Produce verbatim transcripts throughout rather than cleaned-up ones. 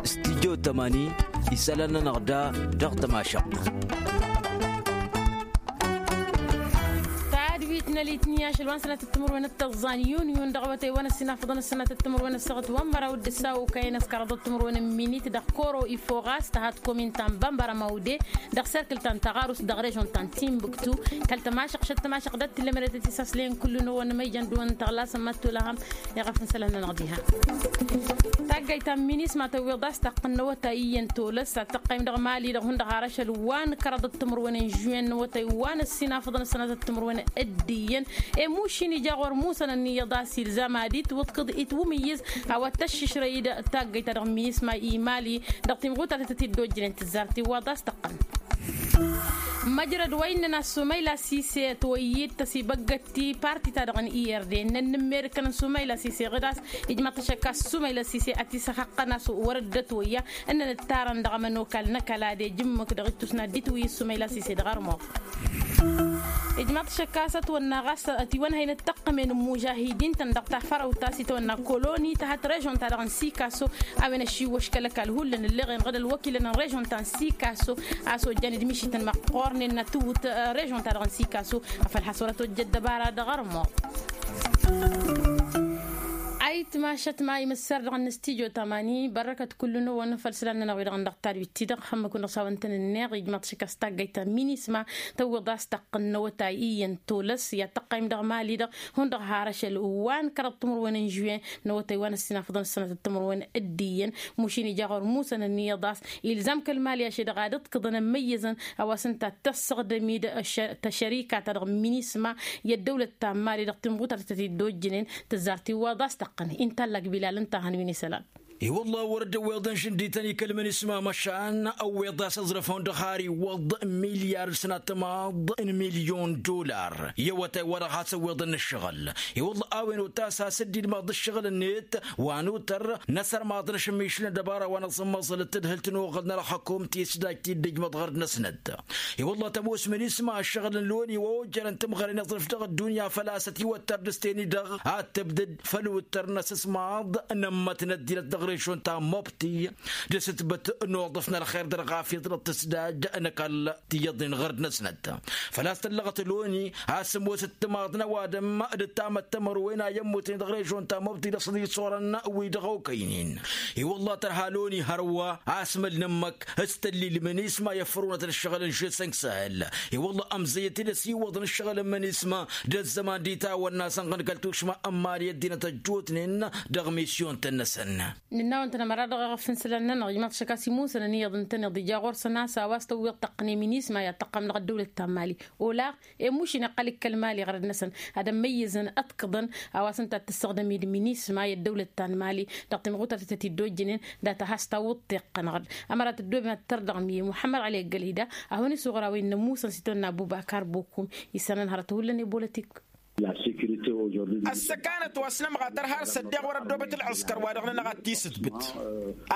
Studyo tămani isălan-nănăɣ da dăɣ-tămašăɣt. Tadwit n-alitni ašăl wa n-sănatăt timǝrwen d-tăẓẓan yun yun dăɣ-awătay wa n-ăssinafăḍăn ăssănatăt timǝrwen ăssăɣăt wa n-măraw d-ǝssaw okăyăn ăskăraḍăt timǝrwen n-minit dăɣ-koro ifo ɣas tăhat komin ta n-bambăra ma ude dăɣ-serkǝl ta n-tăɣarust dăɣ-režon ta n-timbuktu. Kăl-tămašăɣt šăt tămašăɣt dăɣ-t tǝllămăret ătisaslen kullu n-owăn măyjăn d-owăn tăɣlasăn ma t-tulăhăm. Iɣăf n-isălan-nănăɣ diha. Taggayt ta n-minisma tăwweḍ a-s taqqăn n-awătay iyyăn tolăs ad-tăqqăym dăɣ-mali-dăɣ hundăɣ har ašăl wa n-kăraḍăt timǝrwen n-žuwen n-awătay wa n-ăssinafăḍăn ăssănatăt timǝrwen d-iyyăn. I-mušin ija ɣur-musăn ănniyyăḍ a-s ilzam ad-itwǝḍkǝḍ itwǝmǝyyǝz a-wa t-ăššǝšrăy-dd taggayt-ta-dăɣ n-minisma i-mali dăɣ-timɣutartăt ătidojjănen tǝzzar tiwwaḍ a-s tăqqăn. Măjrăd wa innăn a-s sumayla sise ătwăyyǝd tăsibăggăt ti parti-ta-dăɣ n-ird innăn n-ǝmmerǝkăn n-sumayla sise ɣǝd a-s ijmaḍ-t ašăk a-s sumayla sise ătisăxăqqăn a-s wăr-dd-ătwăyya. Ǝnnăn ǝttarăn dăɣ-ămănokal n-ăkall ad-ejǝmmǝk dăɣ-ittus n-ad-dd-itwǝyy ăssumayla sise dăɣ-armuɣ. Ijmaḍ-t ašăk a-s ătwănna ɣas ătiwănhăyăn ăttăqqămen n-imužahidin-tăn dăɣ-tafărăwt ta s-itwănna koloni tăhăt režon-ta-dăɣ n-sikaso. A-wen ăšiwwăš kăl-ăkall hullan ǝlleɣen ɣǝd ălwăkilăn n-režon ta n-sikaso a-s ojjan d-mišităn măqqoornen n-atǝwwǝt režon-ta-dăɣ n-sikaso. Afăl has-wăr-ătojjăt dăbara dăɣ-armuɣ. Ayǝtmašăt ma imǝssar dăɣ-nǝstijyo tamani bărrăkăt kullu-năwăn făll-isălan-nănăɣ wi-dăɣ n-dăɣ tadwit-ti-dăɣ hămmăkun dăɣ-s a-wa ǝntănăn neɣ ijmaḍ-t ašăk a-s taggayt ta n-minisma tăwwăḍ a-s taqqăn n-awătay iyyăn tolăs i-ad-tăqqăym dăɣ-mali-dăɣ hundăɣ har ašăl wa n-kăraḍ timǝrwen n-žuwen n-awătay wa n-ăssinafăḍăn ăssănatăt timǝrwen d-iyyăn. Mušin ija ɣur-musăn ănniyyăḍ a-s ilzam kăl-mali ašăl-dăɣ ad-ǝḍkǝḍăn ămmăyyăzăn a-wa s-ǝnta tăssăɣdăm-dd tăšărika-ta-dăɣ n-minisma i-ăddăwlăt ta n-mali dăɣ-timɣutar tăt-dd-ojjănen. Tǝzzar tiwwaḍ a-s tăqqăn inta allak bilal ǝnta a hăn wi n-isălan. I-wălla wăr dd-ăwweḍăn žǝndităn i-kăl-minisma măšan ăwweḍ a-s ăẓrăf hundăɣ har iwwăḍ milyar d-sănatămaḍ n-milyon dollar i-awătay wa dăɣ-has-ăwweḍăn n-ǝššăɣǝl. I-wălla a-wen otas has-dd-ilmăḍ ǝššăɣǝl-net wa n-utăr n-asărmaḍ n-ašǝmmišǝl n-ăddăbara wa n-aẓǝmmăẓăl d-tadhǝlt n-oɣăl n-ălxukum tisdajt-dd-ǝjmăḍ ɣur-năsnăt. I-wălla tămoos minisma ǝššăɣǝl n-loni wa ojjărăn timɣăren aẓrǝf dăɣ-ăddunya făl-a-s ătiwăttăr dăɣ-s teni-dăɣ ad-tǝbdǝd făll-uttăr n-asǝsmaḍ n-ămmătnăt dinăt dăɣ-režon ta n-mobti d-asǝtbăt n-uḍǝf n-ălxer dăr-ɣafyăḍ dăɣ-tǝsdaj n-ăkall tiyyăḍnen ɣărd-năsnăt. Făl-a-s tăllăɣăt loni a-s ămoos ǝttǝmaḍ n-ăwadǝm d-ǝttamăt tămărwen a i-ămmutnen dăɣ-režon ta n-mobti d-asăḍisorăn wi-dăɣ okăynen. I-wălla tărha loni hărwa a-s măl n-ǝmmăk s-tăllil minisma i-ăffărunăt n-ǝššăɣǝl n-žăsăn săhăl. I-wălla ămzăyyăt-dd ăsiwwăḍăn ǝššăɣǝl n-minisma d-ăzzăman d-itawănna sănɣăn kăl-tušma n-mali ăddinăt ăjjootnen dăɣ-misyon-tăn-năsăn. Nǝnna-wăn-tăn ămăra dăɣ-eɣăf n-isălan-nănăɣ ijmaḍ-t ašăk a-s imusăn ăniyyăḍ ǝntăneḍ ija ɣur-săn a-s a-wa s-tăwweḍ tăqqǝne minisma i-ad-tăqqăm dăɣ-ăddăwlăt ta n-mali. Olaɣ i-mušin iqqăl-dd kăl-mali ɣărăd-năsăn ad-ămmăyyăzăn ăḍkăḍăn a-wa s-ǝnta ad-tǝssăɣdăm-dd minisma i-ăddăwlăt ta n-mali dăɣ-timɣutar tăt-dd-ojjănen. Dat-a has-tawwǝḍ tiqqăn ɣărăd ămăra tăddoobem ad-tărdăɣ mi-muḥămmăd ălay gălida a hawăn-isuɣăr a-wen n-ămmusăn s-itwănna abubakar bokum. Isănăn hărăt hullan i-bolătik. Ăssăkanăt wa s-nămɣatăr har s-ăddeɣ wăr-ăddoobăt ălɣǝskăr wa dăɣ-nănăɣ ad-t-isǝtbǝt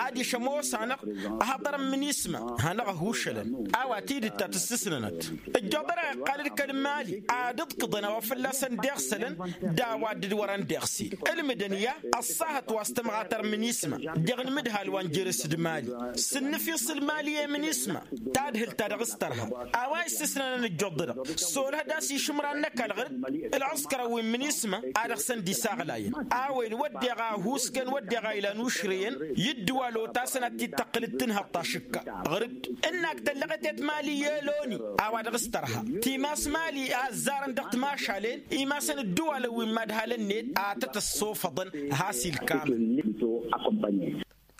adiš ămoos-anăɣ ăhaḍărăn minisma hanăɣ-ăhušălăn a-wa tidǝt ta tǝssǝsnănăt. Ǝjjoḍăreɣ iqqal-dd kăl-mali ad-ǝḍkǝḍăn a-wa fălla-săn deɣsălăn d-a-wa dd-wărăn deɣsel ǝlmǝdăn i-a ăṣṣahăt wa s-tămɣatăr minisma. Dăɣ-inmǝdhal wa n-jere-s d-mali s-ǝnnǝfis ălmali i-minisma tadhǝlt ta dăɣ-s tărha a-wa issǝsnănăn ǝjjuḍ-dăɣ s-olăh d-a-s išǝmran n-ăkall ɣǝr-dd ălɣǝskărăn wi n-minisma a dăɣ-săn dd-isaɣlayăn a-wen wădden a ăhuuskăn wădden a ilan ušrăyăn i-ǝddǝwal otasăn ad-t-id-tăqqǝl d-tǝnhăḍt ašǝkka ɣǝr-dd ǝnnak tăllăɣet i-timali i-eloni a-wa dăɣ-s tărha timas mali a ăzzarăn dăɣ-timašalen imasăn ǝddǝwalăn wi n-imadhalăn-net a tăt-ăssofăḍăn has-ilkamăn.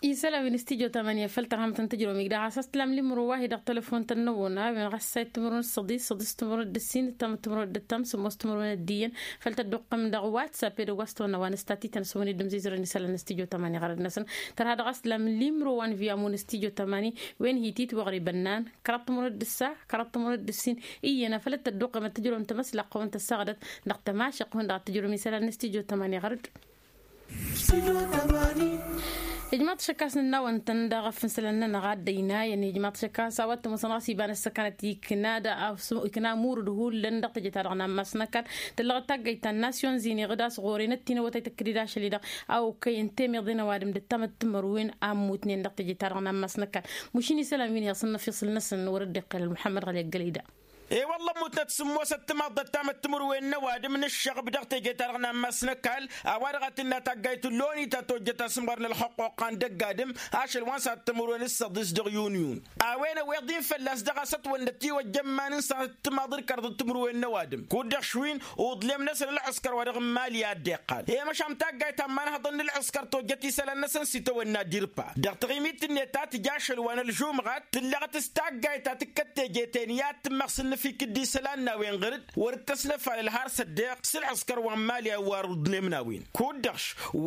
Isălan wi n-studyo tamanya făll-tărhămăt n-tǝjrăwăm igdăɣ a-s ăstlam limro wa hi-dăɣ telefon-tăn n-ăwwăna a-wen ɣas sayt timǝrwen d-săḍis săḍis timǝrwen d-ǝssin ǝttamăt timǝrwen d-ǝttam sǝmmos timǝrwen d-iyyăn. Făll-tădduqqăm dăɣ-whatsapp edăgg wa s-tăwănna wa n-ăstatităn s-ăwăn-dd-ǝmzizărăn isălan n-studyo tamanya ɣărăd-năsăn. Tărha dăɣ-ăstlam limro wa n-viyamu n-studyo tamanya wen hi-titwăɣri bănnan kăraḍ timǝrwen d-ǝssa kăraḍ timǝrwen d-ǝssin. Iyyăn a făl ăttădduqqăm ad-tǝjrăwăm tamăslaqq wa n-tăssaɣdăt dăɣ-tămašăqq wa n-dăɣ ad-tǝjrăwăm isălan n-studyo tamanya ɣărăd. Ijmaḍ-t šăkkas n-ănnawăn-tăn dăɣ-efănsălăn-nănăɣ ad-dd-ăyna i-ijmaḍ-t šăkkas a-wa t-ămoosăn ɣas iba n-ăssăkanăt ikna d-a-s ikna amurǝd hullan dăɣ-teje-ta-dăɣ n-ammas n-ăkall. Tǝllăɣăt taggayt ta n-nasyon zini ɣǝd a-s ɣur-en ăttinăwăt a ităkkǝd-dd ašăl-i-dăɣ a okăyăn temeḍe n-ăwadǝm d-ăttamăt timărwen a ǝmmutnen dăɣ-teje-ta-dăɣ n-ammas n-ăkall. Mušin isălan wi n-iyyăḍ s-ănnăfiṣǝl-năsăn wăr-dd-iqqel ălmuḥămmăd ɣăli ăggălăy da. E-wălla ămmutnăt s-ămoosăt timaḍt d-ăttamăt timǝrwen n-ăwadǝm n-ǝššăɣb dăɣ-teje-ta-dăɣ n-ammas n-ăkall. A-wa-dăɣ a tǝnna taggayt n-loni ta tojjăt asǝmɣăr n-ălxăqquqa n-dăgg-adǝm ašăl wa n-sănat timǝrwen d-săḍis dăɣ-yuniyun. A-wen ăweḍ-in fălla-s dăɣ-a-s ătwănnăt tiwăjja n-iman n-sănat timaḍ d-kăraḍ timǝrwen n-ăwadǝm kud-dăɣ šwin uḍlem-năsăn ǝlɣǝskăr wa dăɣ-n mali a dd-iqqal i-măšan taggayt ta n-imanhăḍăn n-ǝlɣǝskăr tojjăt isălan-năsăn s-itawănna dirpa. Dăɣ-taɣimit-net ta tǝja ašăl wa n-ălžumɣat tǝllăɣăt s-taggayt ta tǝkkăt teje-ten i-ad-tǝmmăɣ s-ǝnnǝfik d-isălan n-a-wen ɣǝr-dd wăr-dd-tăsnăfalăl har s-ăddeɣ s-ǝlɣǝskăr wa n-mali a-wa ăruḍnem n-a-wen. Kud-dăɣ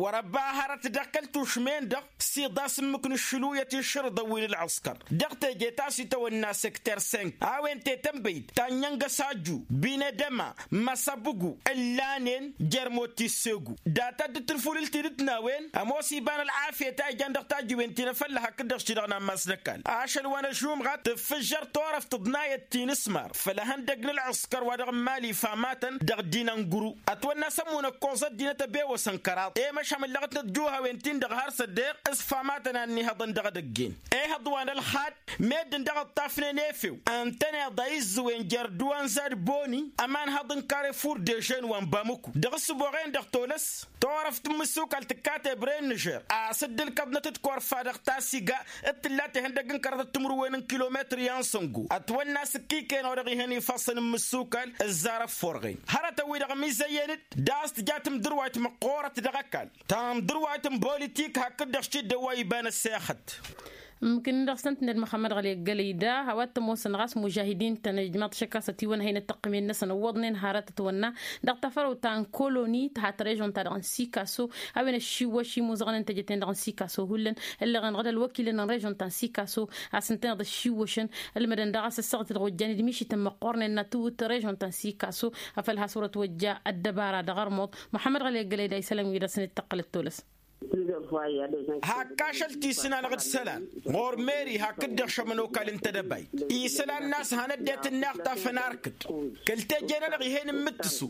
wăr-ăbba hărăt dăɣ-kăl-tušmen-dăɣ s-iḍas ǝmmǝk n-aššǝluyăt išrǝḍăn wi n-ălɣǝskăr. Dăɣ-teje ta s-itawănna săkter sănk a-wen tetănbăyt ta n-iyyăn găsaju binedăma măsăbǝgu ǝllanen jer-mot tissegu. Data dd-tǝlfulǝl tidǝt n-a-wen ămoos iba n-ălɣafyăt a ijan dăɣ-tajiwen ti n-efălla hakd-dăɣ s-ti-dăɣ n-ammas n-ăkall ašăl wa n-ăžumɣat tǝffǝžžăr turăft tǝḍnayăt ti n-ǝsmar făll-ehăndăg n-ălɣǝskăr wa dăɣ-n mali ifamatăn dăɣ-dd-inănguru. Ătwănna s-ămmunăkkoẓ ăddinăt ăbewăsăn kăraḍ i-măšham ǝllăɣătnăt juhawen-tin-dăɣ har s-ăddeɣ s-ifamatăn a ănnihăḍăn dăɣ-edăgg-en. Ehăḍ wa n-ălxad meddǝn dăɣ-ǝṭṭafnen efew ǝntăneḍ a izzǝwen jer-dd wa n-zad boni ămanhăḍ n-karefur dežen wa n-bamǝku dăɣ-ǝssǝboɣen-dăɣ tolăs. Turăft n-imǝssukal tǝkkat ebre n-nižer a-s dd-ǝlkăḍnăt d-korfa dăɣ-tasiga d-tǝlla tehăndăgg n-kăraḍăt timǝrwen n-kilometr i-ansăngo ătwănna s-ǝkkiken-wa-dăɣ ihăn ifassăn n-imǝssukal. Ǝzzar ăfforɣen hărătăn-wi-dăɣ ămizăyyăn-dd d-a-s tǝja tǝmdǝrwayt măqqoorăt dăɣ-ăkall tămdǝrwayt n-politik hakd-dăɣ šidden wa iba n-ăssexăt. Ǝmmǝkǝn-dăɣ s-tăn-tǝnned măxămmăd ɣăli ăggălăy da a-wa t-ămoosăn ɣas mužahidin-tăn ijmaḍ-t šăkk a-s ătiwănhăynăt tăqqǝmen-năsăn ǝwwăḍnen hărătăt wănna dăɣ-tafarăwt ta n-koloni tǝhat režon-ta-dăɣ n-sikaso. A-wen ăššiwwăš imuzăɣăn n-teje-ten-dăɣ n-sikaso hullan ǝllăɣ-enăɣ d-ălwăkilăn n-režon ta n-sikaso a-s ǝntăneḍ ăššiwwăšăn. Ǝlmădăn daɣ a-s ăssaɣăt dăɣ-ojjan d-mišităn măqqoornen n-ad-tǝwwǝt režon ta n-sikaso afăl has-wăr-ătwăjja ăddăbara dăɣ-ărmuḍ. Muḥămmăd ɣăli ăggălăy da isălan wi dăɣ-săn dd-tăqqălăt tolăs. Hakk ašăl ti s-ǝnanăɣ d-isălan ɣur-meri hakd-dăɣ šămănokal n-tedăbayt isălan n-a-s hanăt de-tǝnnaɣ tafănarkăt kăl-teje-nănăɣ ih'-en n-imǝttǝsu.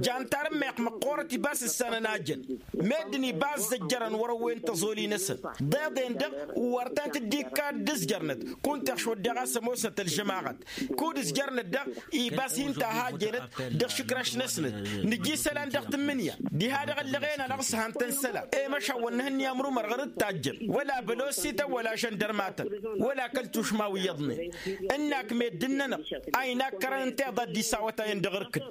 Jantar n-meɣ măqqoorăt ibas ǝssanăn ajăn meddǝn ibas zăjjărăn wăr-ăwwen tăẓoli-năsăn. Ḍeḍen-dăɣ wăr tăn-tǝddikka d-ǝzjărnăt kunta ăšwăddeɣ a-s ămoosnăt ălžămaɣăt kud-ǝzjărnăt daɣ ibas hin-tahajjănăt dăɣ-išǝkraš-năsnăt. Nǝja isălan dăɣ-tǝmmǝnǝya diha-dăɣ ăllăɣen-anăɣ s-han-tăn isălan i-măšan wăr nǝhǝnni amrumăr ɣur-dd tajjăn wăla bălosităn wăla žăndărmatăn wăla kăl-tušma wi iyyăḍnen. Ǝnnak meddǝn-nănăɣ a inakkărăn ǝnta iḍa dd-isawătayăn dăɣ-irkǝd.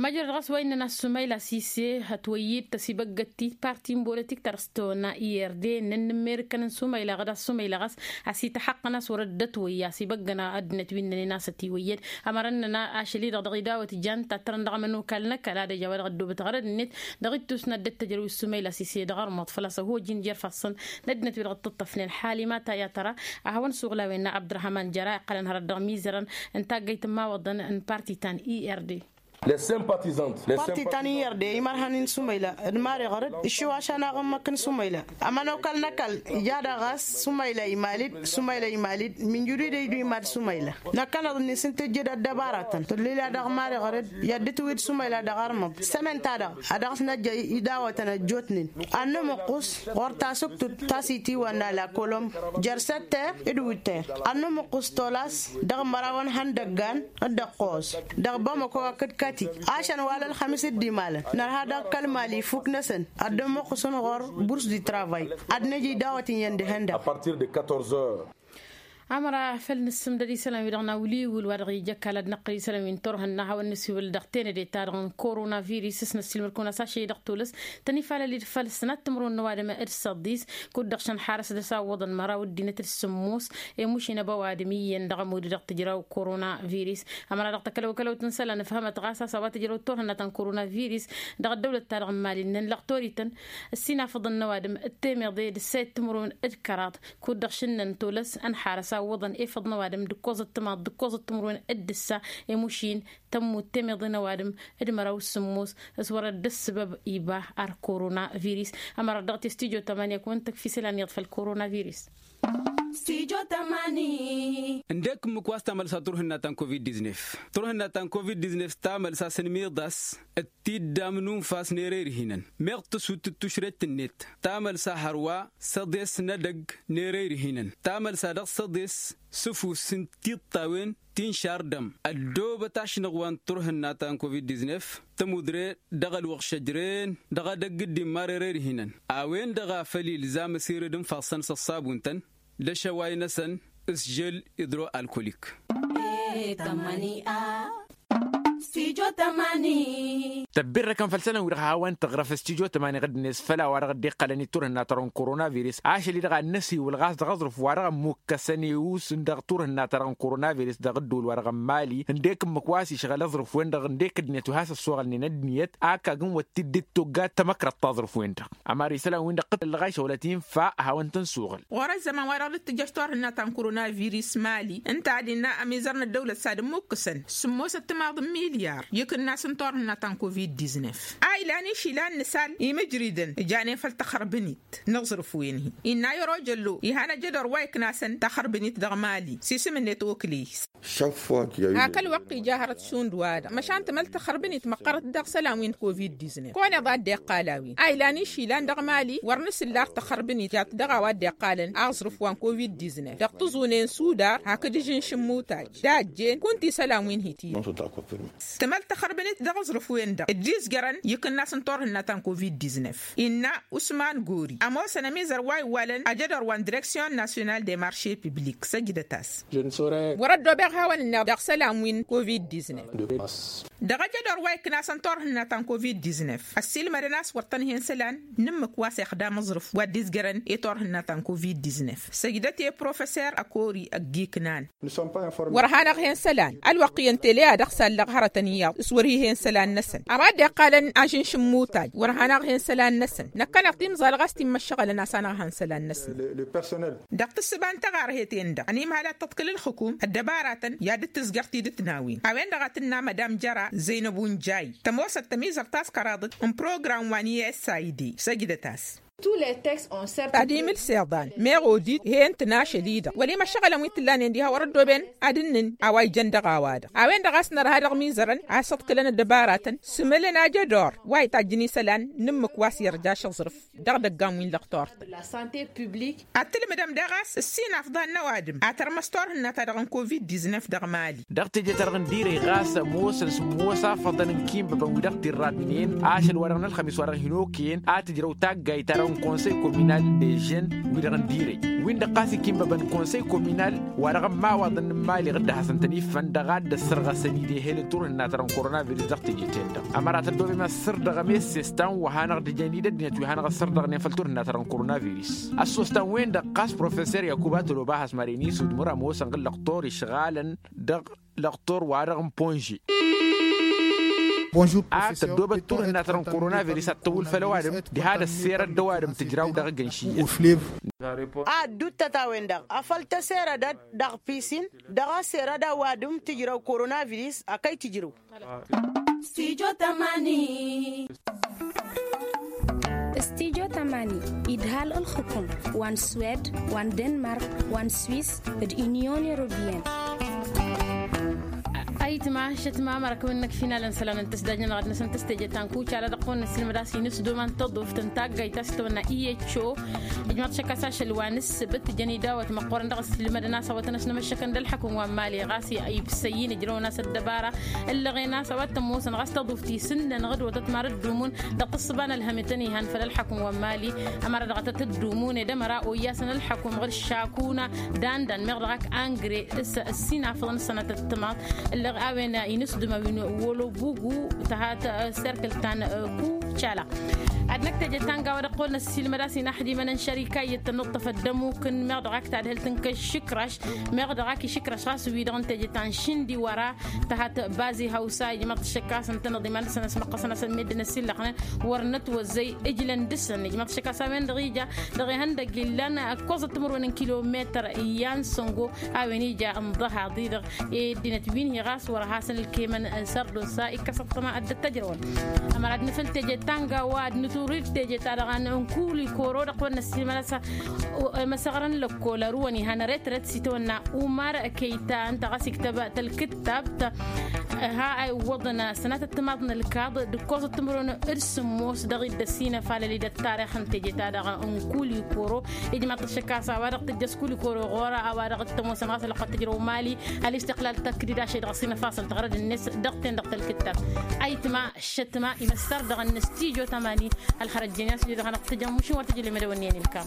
Măjrăd ɣas wa innăn a-s sumayla sise ătwăyyǝd tăsibăggăt ti parti n-bolotik ta dăɣ-s tăwănna ird ǝnnăn n-immerǝkăn n-sumayla ɣǝd a-s sumayla ɣas a-s ităxăqqăn a-s wăr-dd-ătwăyy a-s ibăggăn ăddinăt wi ǝnnănen a-s ătiwăyyăd. Ămărăn-nănăɣ ašăl-i-dăɣ dăɣ-idawăt jan tattărăn dăɣ-amănokal n-ăkall ad-ăj a-wa dăɣ-ăddoobăt ɣărăd-net dăɣ-ittus n-ad-dd-ăttăjrăw s-sumayla sise dăɣ-armuḍ făl-a-s ăhojin jer-ifassăn n-ăddinăt wi-dăɣ dd-tǝṭṭăfnen. Ḥalima ta i-ad-tăra ad-hawăn-suɣlawen n-abdărhaman jăra iqqălăn hărăt dăɣ-imizărăn n-taggăyt n-imawăḍăn n-parti ta n-ird. Parti ta n-ird imărhăn-in sumayla d-mari ɣărăd ǝššǝw ašan aɣǝmmăk n-sumayla. Ămănokal n-ăkall ija daɣ ɣas sumayla imal-dd sumayla imal-dd minjǝdǝw-dd ăydu imad sumayla. Năkkăneḍ-net s-ǝnta ǝjjed ăddăbaratăn tǝllǝla dăɣ-mari ɣărăd i-ad-dd-tǝwǝd sumayla dăɣ-armăḍ. S-ămănta-dăɣ a dăɣ-s năjja idawătăn ăjjootnen ad-nǝmǝqqus ɣur-tasǝktut ta s-itiwănna la kolom jer-sătter d-wǝtter ad-nǝmǝqqus tolas dăɣ-măraw n-ihăndăggan d-ăqqos dăɣ-bamăko hakd kati. Ašăn wa l-ălxămis dd-imalăn nărha dăɣ-kăl-mali ifuk-năsăn ad-dd-ămmuqqǝsăn ɣur-burs di travay ad-năj idawăt iyyăn d-ihăndăɣ. Ămăra făl nǝssǝmdăd isălan-wi-dăɣ n-awǝl-iwǝl wa dăɣ-ija ăkall ad-năqqǝl isălan-wi n-turhǝnna ad-hawăn-nǝsiwǝl dăɣ-tenăde-ta-dăɣ n-korona virus s-năssiilmăd-kăwăn a-s ašăl-i-dăɣ tolăs tăn-ifalăl-dd făll-sănat timǝrwen n-ăwadǝm d-săḍis. Kud-dăɣ šăn ḥarăs dăr-s a ǝwwăḍăn măraw ăddinăt d-sǝmmos i-mušin ăba ăwadǝm iyyăn dăɣ-ămudd dăɣ-tǝjraw korona virus. Ămăra dăɣ-tăkălăwkălăwt n-isălan ǝfhămăt ɣas a-s a-wa tǝjrăw turhǝnna ta n-korona virus dăɣ-ăddăwlăt-ta-dăɣ n-imali ǝnnăn lăɣtorităn ăssinafăḍăn n-ăwadǝm d-temeḍe d-ǝssayăt timǝrwen d-kăraḍ. Kud-dăɣ šǝnnăn tolăs ănḥarăs. tawwăḍăn efăḍ n-ăwadǝm d-ǝkkoẓăt timaḍ d-ǝkkoẓăt timǝrwen d-ǝssa. Emušin tămmut temeḍe n-ăwadǝm d-măraw s-sǝmmos s-wărăt d-ăssǝbăb iba ar koronavirus. Ămărăt dăɣ-t i-studyo tămani akăwăn tăkf isălan iyyăḍ făll-koronavirus. Studyo tămani. Ǝndek ǝmmǝk wa s-tamălsa turhǝnna ta n-covid-diznef. Turhǝnna ta n-covid-diznef tamălsa s-ănmiḍas d-tiddam n-unfas n-ere irhinăn meɣ tǝsut d-tušret-net. Tamălsa hărwa săḍes n-edăgg n-ere irhinăn tamălsa dăɣ-săḍes s-ǝfus n-tiṭṭawen ti n-šar dăm. Ăddoobăt ašnăɣ wa n-turhǝnna ta n-covid-diznef tămudre dăɣ-ălwăɣš ăjreen dăɣ-edăgg d-immar ere irhinăn a-wen-dăɣ a făl ilzam ăsired n-ifassăn s-ăṣṣabun-tăn d-ašăway-năsăn s-žel idro-alkolik. Tăbbirrăkăn făll-isălan-wi-dăɣ hawăn-tăɣrăf s-tijo tămani ɣǝddǝnet făll-a-wa-dăɣ dd-iqqălăn i-turhǝnna-ta-dăɣ n-koronavirus ašăl-i-dăɣ ad-năsiwǝl ɣas dăɣ-aẓrǝf wa-dăɣ ămmukkăsăn i-us n-dăɣ turhǝnna-ta-dăɣ n-koronavirus dăɣ-ǝddǝwǝl-wa-dăɣ n-mali ǝndek ǝmmǝk wa s-išɣǝl aẓrǝf-wen-dăɣ ǝndek ǝddǝnet wi has-ăssoɣălnen ăddinăt. Ak agǝnwăt tiddet toggat tamăkrăḍt taẓrǝf-wen-dăɣ ămăra isălan-win-dăɣ tǝllăɣ ašăwălăt infa ad-hawăn-tăn-suɣǝl. Ɣur-ăzzăman-wa-dăɣ dd-tǝjjăš turhǝnna ta n-koronavirus mali ǝnta ad-innă ămizăr n-ăddăwlăt s-ad-ǝmmukkǝsăn sǝmmosăt timaḍ n-milyar i-ikǝnnas n-turhǝnna ta n-covid-diznef. A ilan išilan n-isal imǝjridăn ǝjanen făll-taxărbǝnit n-aẓrǝf-wen-hi innă i-ărojăllo ihan ajădor wa iknasăn taxărbǝnit dăɣ-mali s-isǝm-net okǝley. Hak ălwăqq ija hărăt šund-wa-dăɣ măšan tǝmăl taxărbǝnit măqqărăt dăɣ-isălan wi n-covid-diznef kăwăn-iḍa dd-iqqal a-wen a ilan išilan dăɣ-mali wăr nǝsǝllar taxărbǝnit jat dăɣ-a-wa dd-iqqalăn aẓrǝf wa n-covid-diznef dăɣ-tǝẓunen sudar hakd ižǝnš n-imutaj dajjen kunta isălan wi n-hi-tine. Tǝmăl taxărbǝnit dăɣ-aẓrǝf-wen-dăɣ dd-izjărăn i-ikǝnnas n-turhǝnna ta n-covid-diznef innă usman gori ămoosăn ămizăr wa iwwalăn ajădor wa n-direksyon nasyonal de marše piblik săjdăt-as. Wăr-ăddoobeɣ hawăn-ǝnneɣ dăɣ-isălan wi n-covid-diznef. Dăɣ-ajădor wa iknasăn turhǝnna ta n-covid-diznef ăssiilmădăn a-s wăr tăn-hen isălan n-ǝmmǝk wa s-ixdam aẓrǝf wa dd-izjărăn i-turhǝnna ta n-covid-diznef săjdăt i-professor ăkori ăgg-iknan. Wăr hanăɣ-hen isălan ălwăqq iyyăn tele a dăɣ-sallăɣ hărătăn iyyăḍ s-wăr hi-hen isălan-năsăn a-wa dd-iqqalăn ažǝnš n-imutaj wăr hanăɣ-hen isălan-năsăn năkkăneḍ timẓal ɣas ti n-imăššăɣălăn a-s anăɣ-han isălan-năsăn. Dăɣ-tǝssǝba n-taɣarhet i-en-dăɣ ănimhal ad-tǝḍkǝl ǝlxǝkum ăddăbaratăn i-ad-dd-tǝzjăr tidǝt n-a-wen a-wen-dăɣ a tǝnna madam jăra zăynăb unjay tămoosăt tămizărt a-s kăraḍăt n-program wa n-i s i d săjdăt-as. Ad-imǝls iḍan meɣ odit hen-tăn ašăl-i-dăɣ wăla imăššăɣălăn wi t-ǝllanen diha wăr-ăddooben ad-ǝnnǝn a-wa ijăn dăɣ-a-wa-dăɣ a-wen-dăɣ a-s nărha dăɣ-mizărăn a-s ǝḍkǝlăn ăddăbaratăn s-ǝmǝlăn ajădor wa itajjǝn isălan n-ǝmmǝk wa s-irjaš aẓrǝf dăɣ-idăggan wi n-lăqtor-tăn. Ad-tǝlmǝdăm daɣ a-s ǝssin afḍal n-ăwadǝm ad-tărmăs turhǝnna-ta-dăɣ n-covid-diznef dăɣ-mali. Dăɣ-teje-ta-dăɣ n-direy ɣas ămoosăn s-ămoos afăḍăn n-ikimbăbăn wi dăɣ-t-irradnen ašăl wa dăɣ-nălxămis wa dăɣ-hin-okăyăn a tǝjrăw taggayt-ta-dăɣ n-konsăy kominal de žen wi-dăɣ n-direy win-dăɣ ɣas ikimbăbăn konsăy kominal wa dăɣ-ămmawaḍăn n-imaliɣ dd-hasăn-tăn-iffăn dăɣ-a dd-ăssărɣăsăn idehel n-turhǝnna-ta-dăɣ n-koronavirus dăɣ-teje-ten-dăɣ. Ămăra tăddoobem ăssărdăɣăm i-ăssestan wa hanăɣ-dd-ijăn i-dd-ăddinăt wi hanăɣ-ăssărdăɣnen făll-turhǝnna-ta-dăɣ n-koronavirus ăssostan-wen-dăɣ ɣas professor yakuba tăloba hasmar inisud măra ămoosăn ɣǝllăɣ tor išɣalăn dăɣ-lăɣtor-wa-dăɣ n-ponže. A tăddoobăt turhǝnna-ta-dăɣ n-koronavirus ad-tăwwǝl făll-ăwadǝm diha d-ăsserăt d-ăwadǝm tǝjraw dăɣ-egănš iyyăn. Ad-dd-uttăt a-wen-dăɣ afăl tăserădăt dăɣ-pisin dăɣ-ăserăd ăwadǝm tǝjrăw koronavirus a kăy-tǝjrǝw. Studio tămani. Studio tămani idhal ǝlxǝkum wa n-swed wa n-denmark wa n-swis d-unyon europeyăn. Ayǝtma šătma măra kăwăn-năkf inalăn isălan n-tǝsdajnănăɣ ad-năsăn tǝstejăt ta n-kucala dăɣ-kăwăn-năssilmăd a-s inǝsdum a n-tăḍuft n-taggayt ta s-tăwănna iho. Ijmăḍ šăkk a-s ašăl wa n-ǝssǝbǝt jăn idawăt măqqoorăn dăɣ-ăssilmădăn a-s a-wa tăn-ăsnămăššăkăn d-ălxăkǝm wa n-mali ɣas ibsăyyǝn ǝjrăwăn a-s ăddăbara ǝllăɣen a-s a-wa t-ămoosăn ɣas tăḍuft isǝnnăn ɣǝdwătăt ma d-ǝddumun dăɣ-tǝssǝba n-ălhăm i-tăn-ihan făll-ălxăkǝm wa n-mali. Ămăra dăɣ-tăt-ǝddumun ed ămăra oyyasăn ălxăkǝm ɣǝr-šakuna d-andan meɣ dăɣ-ak angre s-ăssinafăḍăn s-sănatăt timaḍ ǝllăɣ a-wen inǝsdǝm a-wen wălo bugu tăha tăserkǝlt ta n-kucala. Ad-năkk teje ta n-gawa dăɣ-kăwăl năssiilmăd a-s inaxdimăn n-šărika iyyăt tănnuḍtăf ăddămuk n-meɣ dăɣ-ak tadhǝlt n-kăššǝkraš. Meɣ dăɣ-ak išǝkraš ɣas wi-dăɣ n-teje ta n-šindi wăra tăhat bazi hawsa ijmaḍ-t šăkk a-s ǝntăneḍ iman-năsăn ăsmăqqăsăn a-s ămmeddǝn ăsillăxnen wăr nătwăzzăy ǝjlăn dăr-săn ijmaḍ-t šăkk a-s a-wen-dăɣ ija dăɣ-ihăndăg illan ăkkoẓăt timǝrwen n-kilometăr i-ad-săngo a-wen ija ǝnḍăhaḍ-i-dăɣ. Ăddinăt wi n-hi ɣas wăr hasăn-ǝlkemăn sărḍǝn s-a ikkăs ăṭṭăma ad-dd-tăjrăwăn. Ămăra ad-nǝfǝl teje ta n-gawa ad-nǝturid teje ta dăɣ-anăn n-kuli koro dăɣ-wănnăs imănăsa. Măsăɣrăn lăkkol ărwăn ihăn retret s-itawănna umar kăyta ǝnta ɣas iktăb tălkǝttab ha a iwwăḍăn sănatăt timaḍ n-ălkaḍ d-ǝkkoẓăt timǝrwen d-sǝmmos dăɣ-iddăs inăfalăl-i d-ăttarix n-teje ta dăɣ-n kuli koro. Ijmaḍ-t ăššăk a-s a-wa-dăɣ tǝjjăs kuli koro ɣur-a a-wa-dăɣ t-ămoosăn ɣas ălwăqq ad-tǝjrăw mali. Ălistăqlal tăkdid ašăl dăɣ-s inăfasăn tăɣrăd-net dăɣ-ten dăɣ-tălkǝttat. Ayǝtma ǝššătma imăssar dăɣ-năstijo tamani. Ălxărăt jănyan s-ǝjrăd hanăɣ-tǝjăn mušin wăr tǝjǝl imădăwăn n-iyyăn ilkam.